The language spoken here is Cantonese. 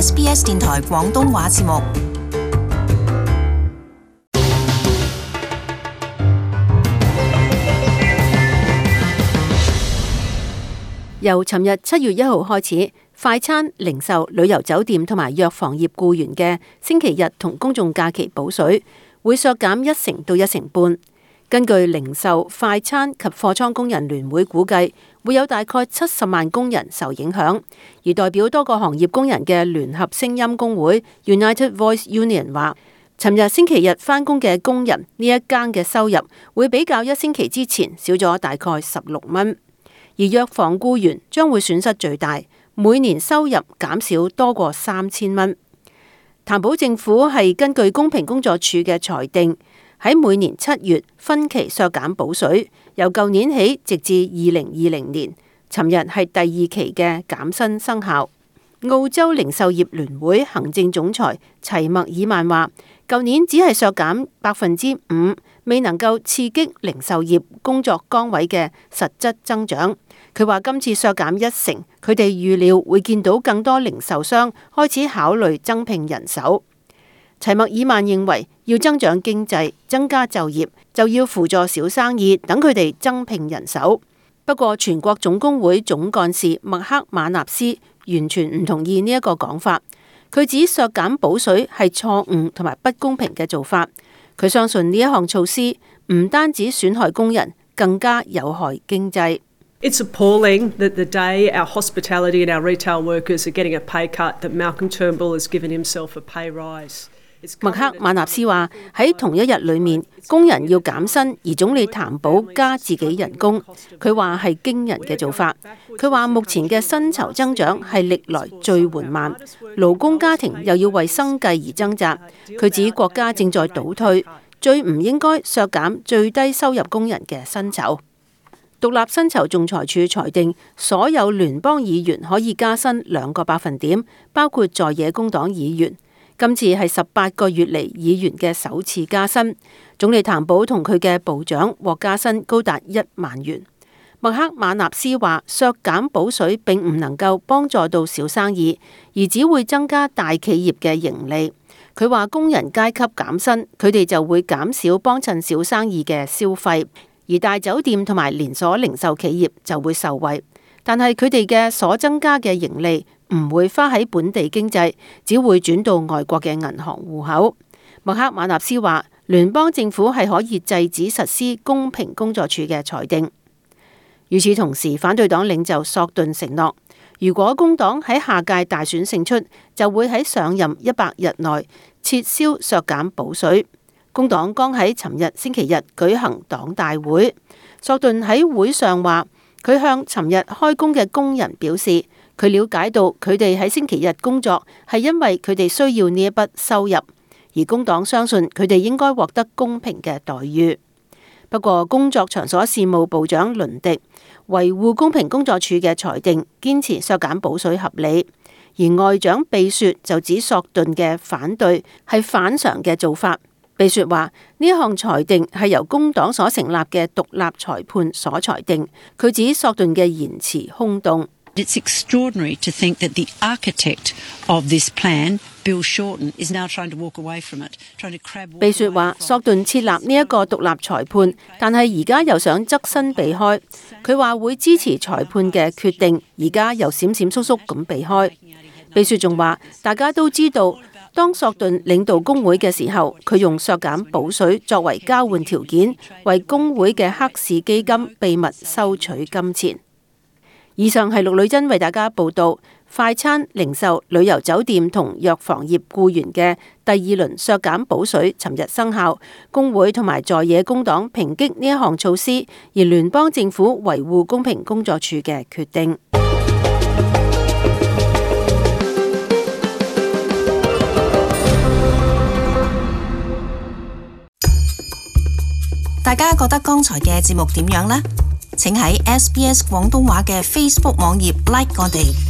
SBS 電台廣東話節目。由尋日7月1號開始，快餐、零售、旅遊酒店同埋藥房業僱員嘅星期日同公眾假期補水會削減1成到1成半。根據零售、快餐及貨倉工人聯會估計，會有大概70萬工人受影響。而代表多個行業工人嘅聯合聲音工會 United Voice Union 話，尋日星期日返工嘅工人呢一間嘅收入會比較1星期之前少咗大概16蚊。而藥房僱員將會損失最大，每年收入減少多過3000蚊。譚寶政府係根據公平工作處嘅裁定，喺每年7月分期削減補水，由舊年起直至2020年。尋日係第2期嘅減薪生效。澳洲零售業聯會行政總裁齊默爾曼話，舊年只係削減5%，未能夠刺激零售業工作崗位嘅實質增長。佢話今次削減1成，佢哋預料會見到更多零售商開始考慮增聘人手。齊默爾曼認為，要增長經濟、增加就業，就要輔助小生意，等佢哋增聘人手。不過，全國總工會總幹事麥克馬納斯完全唔同意呢一個講法。佢指削減補水係錯誤同埋不公平嘅做法。佢相信呢一項措施唔單止損害工人，更加有害經濟。It's appalling that the day our hospitality and our retail workers are getting a pay cut, that Malcolm Turnbull has given himself a pay rise. 麥克馬納斯話喺同一日裏面，工人要減薪，而總理譚寶加自己人工。佢話係驚人嘅做法。佢話目前嘅薪酬增長係歷來最緩慢，勞工家庭又要為生計而掙扎。佢指國家正在倒退，最唔應該削減最低收入工人嘅薪酬。獨立薪酬仲裁處裁定，所有聯邦議員可以加薪2個百分點，包括在野工黨議員。今次係18個月嚟議員嘅首次加薪。總理譚寶同佢嘅部長獲加薪高達1萬元。麥克馬納斯話，削減補水並唔能夠幫助到小生意，而只會增加大企業嘅盈利。佢話工人階級減薪，佢哋就會減少幫襯小生意嘅消費，而大酒店同埋連鎖零售企業就會受惠。但係佢哋嘅所增加嘅盈利唔會花喺本地經濟，只會轉到外國嘅銀行戶口。麥克馬納斯話，聯邦政府係可以制止實施公平工作處嘅裁定。與此同時，反對黨領袖索頓承諾，如果工黨喺下屆大選勝出，就會喺上任100日內撤銷削減補水。工黨剛喺尋日星期日舉行黨大會，索頓喺會上話，佢向尋日開工嘅工人表示，佢了解到佢哋喺星期日工作係因為佢哋需要呢一筆收入，而工黨相信佢哋應該獲得公平嘅待遇。不過，工作場所事務部長倫迪維護公平工作處嘅裁定，堅持削減補水合理，而外長貝雪就指索頓嘅反對係反常嘅做法。貝雪話呢一項裁定係由工黨所成立嘅獨立裁判所裁定。佢指索頓嘅言辭空洞。It's extraordinary to think that the architect of this plan, Bill Shorten, is now trying to walk away from it, trying to crab walk away from it. 貝雪話索頓設立呢一個獨立裁判，但係而家又想側身避開。佢話會支持裁判嘅決定，而家又閃閃縮縮咁避開。貝雪仲話大家都知道，當索頓領導工會嘅時候，佢用削減補水作為交換條件，為工會嘅黑市基金秘密收取金錢。以上係陸女珍為大家報道快餐、零售、旅遊酒店同藥房業僱員嘅第2輪削減補水，尋日生效。工會同埋在野工黨抨擊呢一項措施，而聯邦政府維護公平工作處嘅決定。大家覺得剛才嘅節目點樣呢？請喺SBS 廣東話嘅 Facebook 網頁 like 我哋。